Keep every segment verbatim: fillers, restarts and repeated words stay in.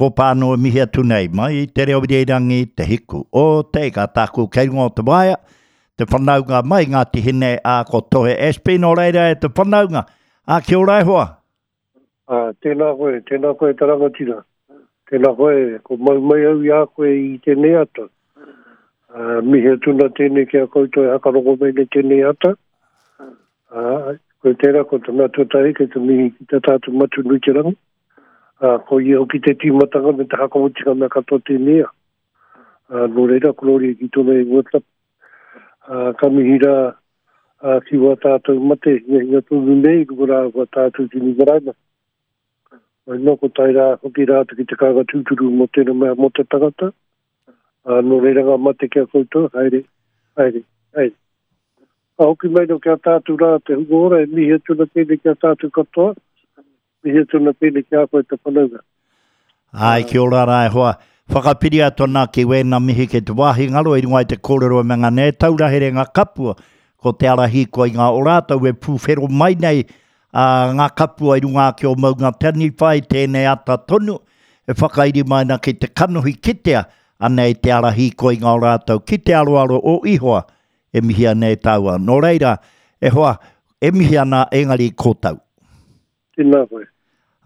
Ko pāno e mihi atu nei, mai i te reo irirangi, te hiku o te ika tāku kei runga o te waea, te whanaunga mai Ngāti Hine, a ko Tohe Ashby, nō reira e te whanaunga. A kia ora e hoa. A, tēnā koe, tēnā koe te rangatira. Tēnā koe, ko mau mai au i a koe i tēnei ata. A, mihi atu nā tēnei ki a koutou e hakarongo mai nei tēnei ata. A, koe tērā, ko te mea tuatahi kei te mihi ki te tātou Matu nui te rangi. A, ko ia hoki te tīmatanga me te hakamotinga mea katoa tēnei a. A, nō reira, korōria ki tōna ingoa tapu. A, ka mihi rā, a, ki wā tātou mate, hinga hinga tonu nei, ko rā wā tātou tini maraima. Mai nō ko tae rā, hoki rātou ki te kānga tūturu mō tēnā mea mō te tangata. A, nō reira ngā mate ki a koutou, haere, haere, haere. Ka hoki mai nō ki a tātou rā te hunga ora, e mihi atu ana tēnei ki a tātou katoa. Mihi atu ana tēnei ki a koe te whanaunga. Ai, kia ora rā e hoa. Whakapiri atu ana ki wēnā mihi ki te wāhi ngaro i runga i te kōrero e me ngā nei taura here ngā kapua. Ko te ara hīkoa i ngā o rātou e pūwhero mai nei a, ngā kapua i runga ake o Maunga Taniwha i tēnei ata tonu. E whakairi mai ana ki te kanohi kitea anei te ara hīkoa i ngā o rātou ki te aroaro o Ihoa e mihi ana e tāua. Nō reira, e hoa, e mihi ana engari kōtau. Tēnā koe.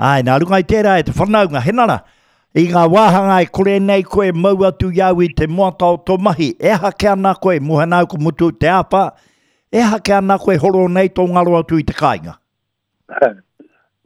Ai, nā runga i tērā e te whanaunga, henara, i ngā wāhanga e kore nei koe mau atu i au i te moata o tō mahi, e aha ke ana koe, mohe nāu ko mutu te āwhā, e aha ke ana koe horo nei tō ngaro atu i te kāinga?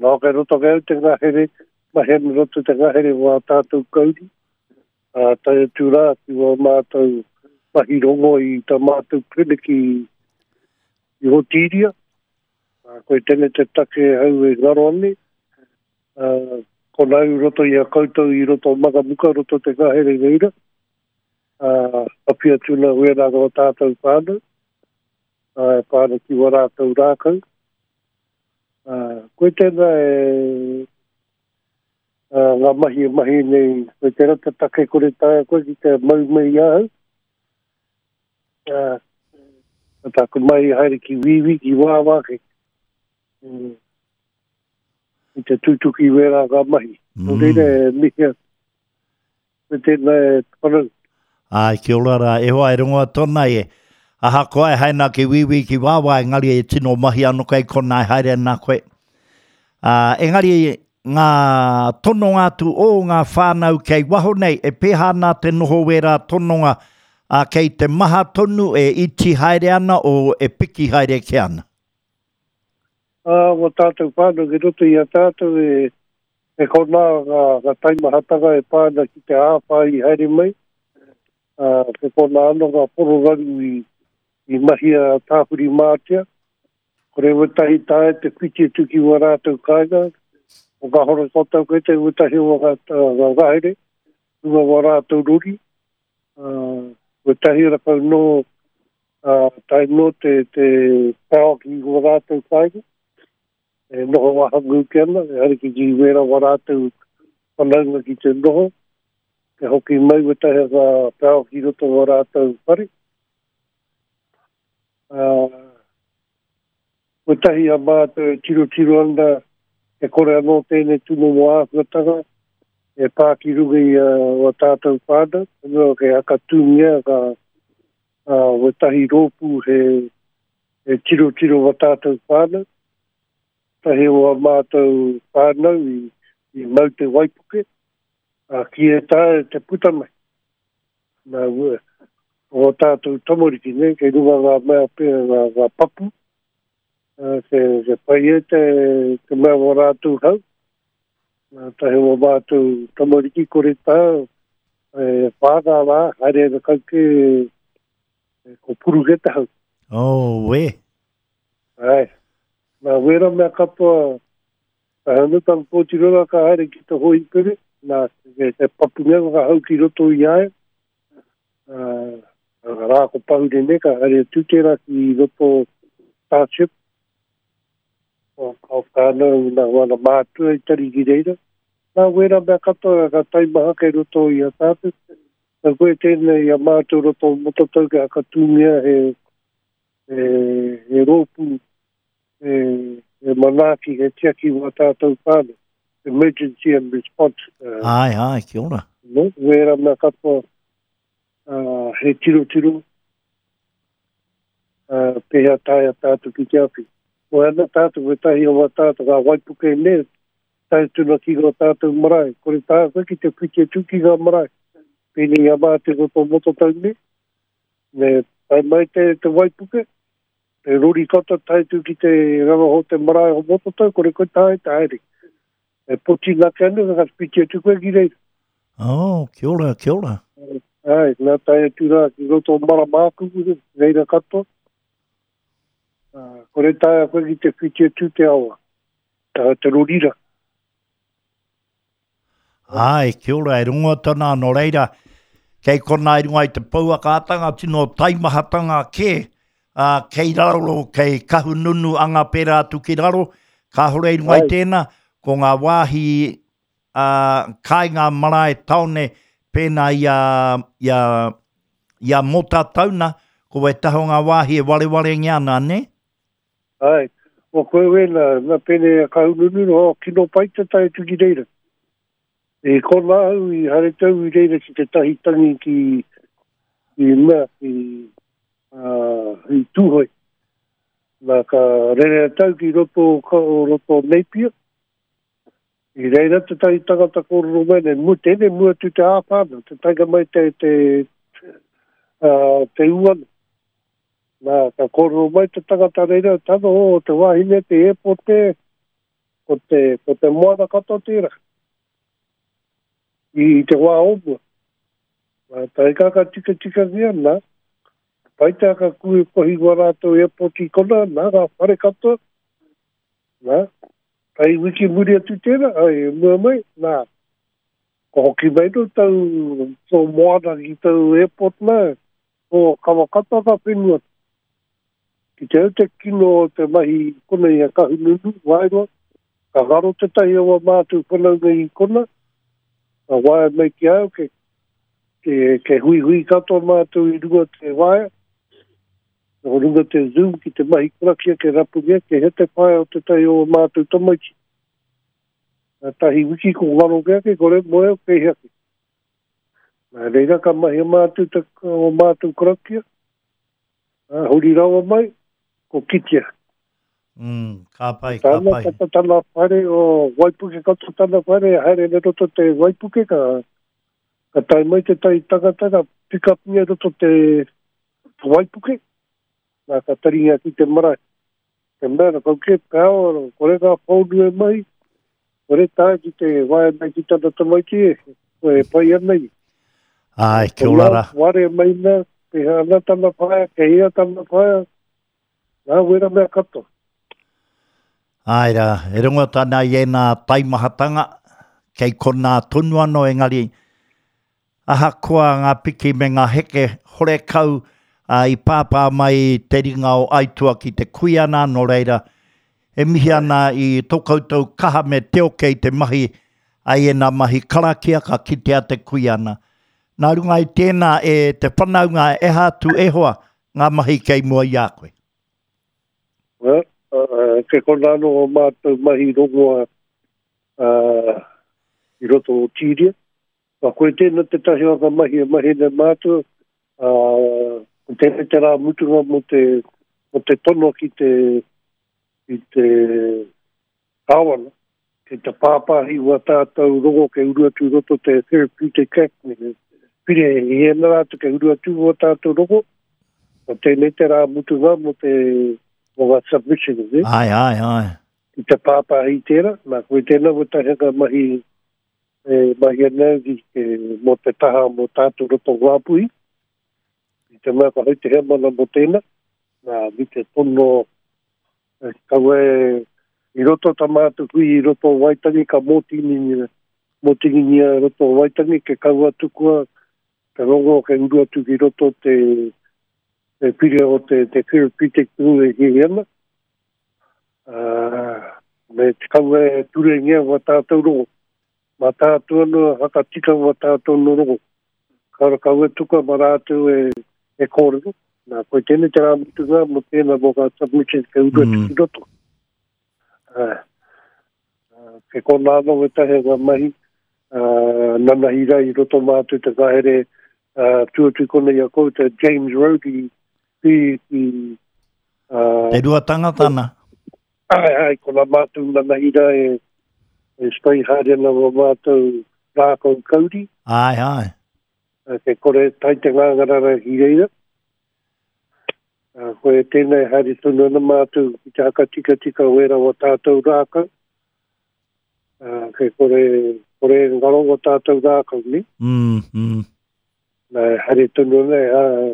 Nō ke roto ke au te ngahere, mahi ana roto te ngahere wā tātou kauri, a tae atu rā ki wā mātou mahi rongo i tā mātou kliniki i Hotiria. A, koe tēnei te take hau e ngaro ane. A, ko nau roto i a koutou i roto Mangamuka, roto te ngahere reira. A, api atu nā wēnā ngā tātou whānau. A, e whānau ki wā rātou rākau. A, koe tēnā e, a, ngā mahi e mahi nei, koe tērā te take kore taea koe ki te mau mai i ahau. A, a tāku mai haere ki wīwī, ki wāwā, ki, mm, i te tūtuki wērā ngā mahi. Mm. Nō reira e mihi atu. Me tēnā e whanau. Ai, kia ora rā, e hoa e rongoa tōna e. Ahakoa e haere nā ki wīwī ki wāwā, engari e tino mahi anō kei kona e haere ana koe. Ā, engari ngā tononga atu o ngā whānau kei waho nei, e pēhā ana te noho wērā tononga, ā, kei te maha tonu e iti haere ana o e piki haere ke ana? Ā, wā tātou whānau ki roto i a tātou e, e kona ngā, ngā taimahatanga e pā ana ki te āwhā i haere mai. Ā, ke kona anō ngā pororaru i, i mahia tāwhiri mātea. Kore wetahi tae te whiti atu ki wā rātou kāinga. O ngā horo kōtau koe te wetahi o ngā, ngā ngahere, runga wā rātou rori. Ā, wetahi rakau nō, ā, tae nō te, te pao ki wā rātou kāinga. E noho wāhangu ki ana, e haere ki ki wērā wā rātou whanaunga ki te noho. Ke hoki mai wetahi ngā pao ki roto wā rātou whare. Ā, wetahi a mātou e tirotiro ana, e kore anō tēnei tūmomo āhuatanga, e pā ki runga i a wā tātou whānau, anō ke hakatūngia ngā, ā, wetahi rōpū he, he tirotiro wā tātou whānau. Tahi o a mātou whānau i, i mau te waipuke, a ki e tae te puta mai. Nā, ue, o tātou tamariki, ne, kei runga ngā mea pea ngā, ngā papu, a, ke, ke pai e te, te mea o rātou hau. Nā, tahi o mātou tamariki kore tā, e whānga rā, haere ana kauke, e, ko puru ke te hau. Oh, we. Ai. Nā, wera mea katoa, a hanu tang pōtirora ka haere ki te hoipere, nā, te, te papu mea ngā hau ki roto i aia. Ā, rā ko pahure nei, ka haere atu tērā ki roto township. O, o whānau nā wana mātua i tari ki reira. Nā, wera mea katoa ka taimaha kei roto i a tātou. Nā koe tēnei i a mātou roto Motatau ke hakatūngia he, he, he rōpū, he, he manaaki, he tiaki wā tātou whānau. Emergency and Response. Uh, ai, ai, kia ora. No, wera mea katoa, uh, he tiro tiro, uh, pehea taea tātou ki te awhi. O ana tātou, we tahi o wā tātou, ngā waipuke ne, tae tuna ki ngā tātou marae. Kore tātou ki te whiti atu ki ngā marae. Pēnei a māte ko tō mototau ne, me tae mai te, te waipuke, te rori kata tae tu ki te rawaho te marae o mototau, kore koe tae taere. E poti nake anu, ka whiti atu koe ki reira. Oh, kia ora, kia ora. Ai, nā tae atu rā ki roto o Maramākuku, reira katoa. Uh, kore taea koe ki te whiti atu te awa, tā te rorira. Ai, kia ora, e rongo tana no reira, kei kona i runga i te pouakaatanga, tino taimahatanga ke, uh, kei raro, kei kahununu anga pērā atu ki raro, kāhore i runga i tēnā, ko ngā wāhi uh, kāinga marae taone pēnā i a, i a, i a Mota Tauna, ko e taho ngā wāhi e warewarengia ana, ne? Ai, o koe wena, nā pēne a kahununu, o kino pai te tae tu ki reira. E kona au i hare tau i reira ki te tahi tangi ki, ki mea, ki, uh, i Tūhoe. Nā ka rere tau ki roto, ka, o roto Napier. I reira te tahi tangata kōrero mai, ne mu, tēnei mua tu te āwhana, te taika mai te, te, uh, te uana. Nā, ka kōrero mai te tangata reira, tana o te wahine, te airport te, ko te, ko te moana katoa tērā. I te wā o mua. Nā, tae ka ka tika tika nia, nā, pai te aka kue kohi wā rātou airport i kona, nā, ngā whare katoa, nā, ai wiki muri atu tērā, ai mua mai, nā, ko hoki mai no tau tō moana ki tau airport nā, o kawa katoa ka whenua. Ki te au te kino o te mahi kona i a Kahununu, Waeroa, ka ngaro te tahi o a mātou whanaunga i kona, ka waea mai ki au, ke, ke, ke hui hui katoa mātou i runga te waea, o runga te Zoom ki te mahi karakia ke rapungia, ke he te whaea o te tahi o a mātou tamaiti. Nā tahi wiki ko ngaro ke ake, kore moe o ke hea ke. Nā reira ka mahi a mātou te, o mātou karakia, nā, huri rawa mai, ko kitea. Mm, ka pai, ka Tana, pai. tata tana whare o Waipuke katoa tana whare, haere ne roto te Waipuke, ka, ka tae mai te tai tangata, ka pick up nia roto te, te Waipuke, nā ka taringa ki te marae. Te mea, na kau ke pāo, kore ngā pōnu e mai, kore tae ki te waea mai ki tana tamaiti e, ko e pai ana i. Ai, kia Ko ora nā, rā. ware mai nā, peha ana tana whaea, ke hea tana whaea, nā wera mea katoa. Ai rā, e rongo tana i ēnā taimahatanga, kei konā tonu anō engari, ahakoa ngā piki me ngā heke horekau uh, i pāpā mai te ringa o Aitua ki te kuiana, nō reira, e mihi ana i tō koutou kaha me te oke i te mahi, ai ēnā mahi karakia ka kitea te kuiana. Nā runga i tēnā e te whanaunga e atu e hoa ngā mahi kei mua i a koe. Well, uh, ke kona anō o mātou mahi rongoa uh, i roto o Tīria. Ka koe tēnā te tahi o ngā mahi e mahi nei mātou, uh, ko tēnei te rā mutunga mo te, mo te tono ki te, ki te kāwana, ki te pāpāhi wā tātou rongo ke uru atu roto te Therapeutic Act, me te pire i ēnā rātou ke uru atu wā tātou rongo, ko tēnei te rā mutunga mo te mo ngā submission, eh? Ai, ai, ai. I te pāpāhi tērā, nā koe tēnā wā tahi ngā mahi e mahi ana ki ke mō te taha mō tātou roto Ngāpuhi. I te mea ka hau te hemana mō tēnā, nā mi te tono e, kawe i roto tā mātou hui i roto o Waitangi ka mōtingingia, mōtingingia i roto o Waitangi ke kaua tukua te rongo ke uru atu ki roto te te pire o te, te therapeutic tū e hihi ana. Uh, me te kaua e turengia wā tātou rongo. Mā tātou anō hakatika wā tātou anō rongo. Kaura kaua tuka mā rātou e, e kōrero. Nā, koe tēnei te rā mutunga mō tēnā mō ngā submissions ke uru atu Mm. ki roto. Uh, uh, Ke kona anō wetahi ngā mahi, uh, nanahira i roto mātou te ngahere uh, tuatu kona i a koutou James Road i, i, i uh, Te rua tangatana. Ai, ai, kona mātou nanahira e, e spray haere ana wa mātou rākau kauri. Ai, ai. Ke kore tai te ngāngarara ki reira. Uh, koe tēnei haere tonu ana mātou ki te haka tika tika wera wa tātou rākau. Uh, ke kore, kore ngaro wa tātou rākau ni. Mm, mm. Nā, haere tonu ana,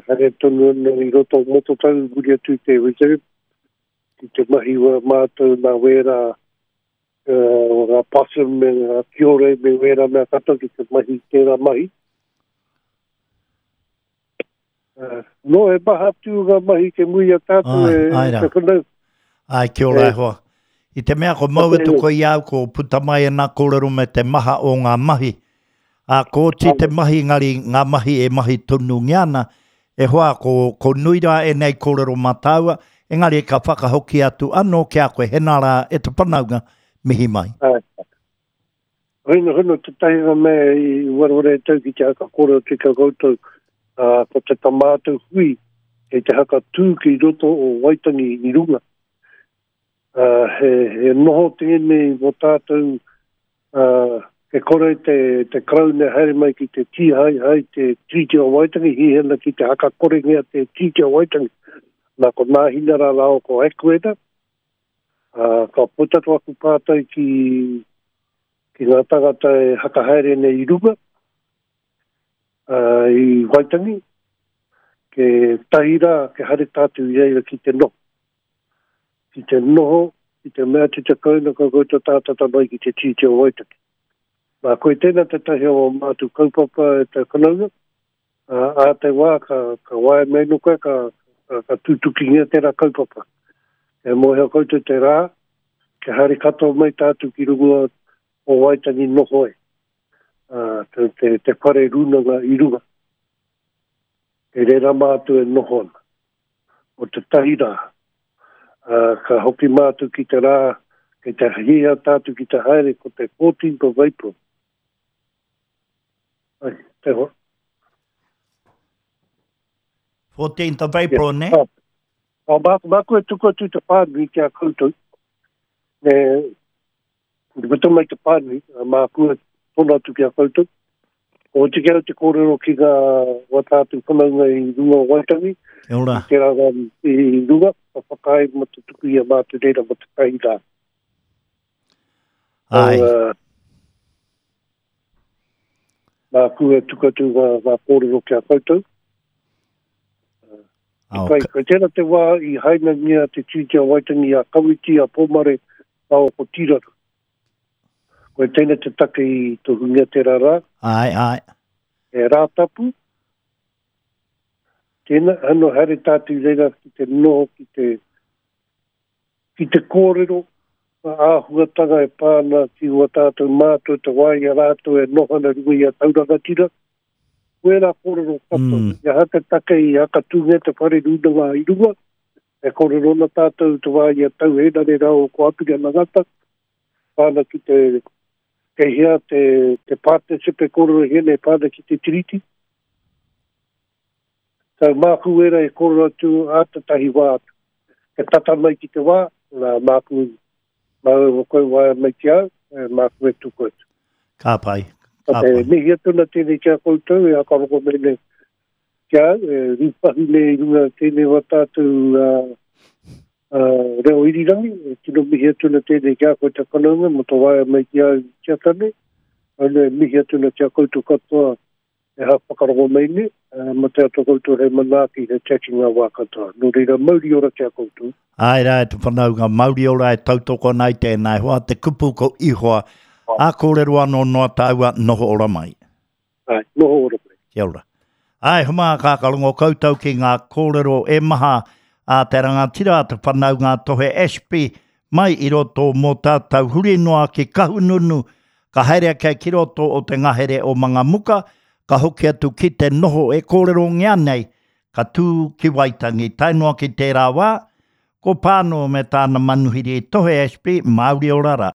haere tonu ana i roto mototau muri atu te reserve. Ki te mahi wa mātou nā wera uh, ngā possum me ngā kiore me wera mea katoa ki te mahi tērā mahi. Uh, no, e maha atu ngā mahi ke mui a tātou Ai, e, ai rā. te whanau. Ai, kia ora E. e hoa. I te mea ko mau atu ko i au ko puta mai e nā kōrero me te maha o ngā mahi. A ko oti te mahi ngari ngā mahi e mahi tonu ngiana, e hoa ko, ko nui rā e nei kōrero mātāua, engari ka whakahoki atu anō ki a koe hena rā e te panaunga mihi mai. Ai. Hoina hono te tahinga mea i wareware e tau ki te haka kōrero te ka koutou, uh, ko te tamātou hui kei te haka tū ki roto o Waitangi i runga. Uh, he, he noho tēnei mō tātou, uh, ke kore te, te Karauna haere mai ki te tīhai hai te Tiriti o Waitangi, hihena ki te haka korengia te Tiriti o Waitangi. Nā ko Nāhina rā rāo ko Ekuena, uh, ka puta tu aku pātai ki, ki ngā tangata e hakahaere nei i runga, uh, i Waitangi, ke tahi rā, ke haere tātou i reira ki te noho. Ki te noho, ki te mea te te kauna ka koutou tātata mai ki te Tiriti o Waitangi. Nā, koe tēnā te tahi o mātou kaupapa e te whanaunga, uh, a te wā ka, ka wae mai no koe, ka, ka, ka tūtukingia tērā kaupapa. E mōhio koutou te rā, ke haere katoa mai tātou ki runga o Waitangi noho e. Uh, te, te, te whare rūnanga i runga. E reira mātou e noho ana. O te tahi rā. Uh, ka hoki mātou ki te rā, kei te hia tātou ki te haere ko te fourteenth of April. Ai, te hoa. fourteenth of April, ne? Ah, ah, māku, māku e tuku atu te pānui ki a koutou. E, te puta mai te pānui, a māku e tono atu ki a koutou. O te kia te kōrero ki ngā wa tātou whanaunga i runga o Waitangi, Kia ora. i tērā rā i runga, ka whakaae mo te tuku i a mātou reira mo te tahi rā. Ai. Uh, māku e tuku atu ngā, ngā kōrero ki a koutou. Oh, Kai, kai tērā te wā i hainangia te Tiriti o Waitangi a Kawiti, a Pomare, a o ko Tīrara. Koe tēnei te take i tohungia tērā rā. Ai, ai. E rā tapu. Tēnā, anō haere tātou reira ki te noho, ki te, ki te kōrero, ngā āhuatanga e pā ana ki ua tātou mātou te wā i a rātou e noho ana runga i a Taurangatira. Koe rā kōrero katoa. Mm. Ia haka take i haka tūngia te whare rūnanga i runga, e kōrero ana tātou te wā i a Tau Henare rā o ko Apirana Ngata, pāna ki te, kei hea te, te partnership e kōrero hene e pāna ki te Tiriti. Tau māku era e kōrero atu a te tahi wā atu. Ke tata mai ki te wā, nā māku, māu o koe waia mai ki au, e māku e tuku atu. Ka pai. Ka Te pai. mihi atu na tēnei ki a koutou, e akaroko mai nei ki au, e rūpahu nei i runga tēnei wā tātou uh, uh, reo irirangi, e tino mihi atu na tēnei ki a koe te whanaunga, mo tō waia mai ki au ki a tane, ano e mihi atu na ki a koutou katoa e ha whakarongo mai nei, uh, mo te ato koutou hei manaaki, hei tiaki ngā wā katoa. Nō reira, mauri ora ki a koutou. Ai rā, e te whanaunga, mauri ora e tautoko nei tēnā, hoa te kupu ko ihoa, a kōrero anō noa tāua, noho ora mai. Ai, noho ora mai. Kia ora. Ai, huma ka karongo koutou ki ngā kōrero e maha a te rangatira a te whanaunga Tohe Ashby mai i roto mō tātou huri noa ki Kahungunu, ka haere ake ki roto o te ngahere o Mangamuka, ka hoki atu ki te noho e kōrero ngea nei, ka tū ki Waitangi, tae noa ki tērā wā, ko Pāno me tāna manuhiri Tohe Ashby, Māori ora rā.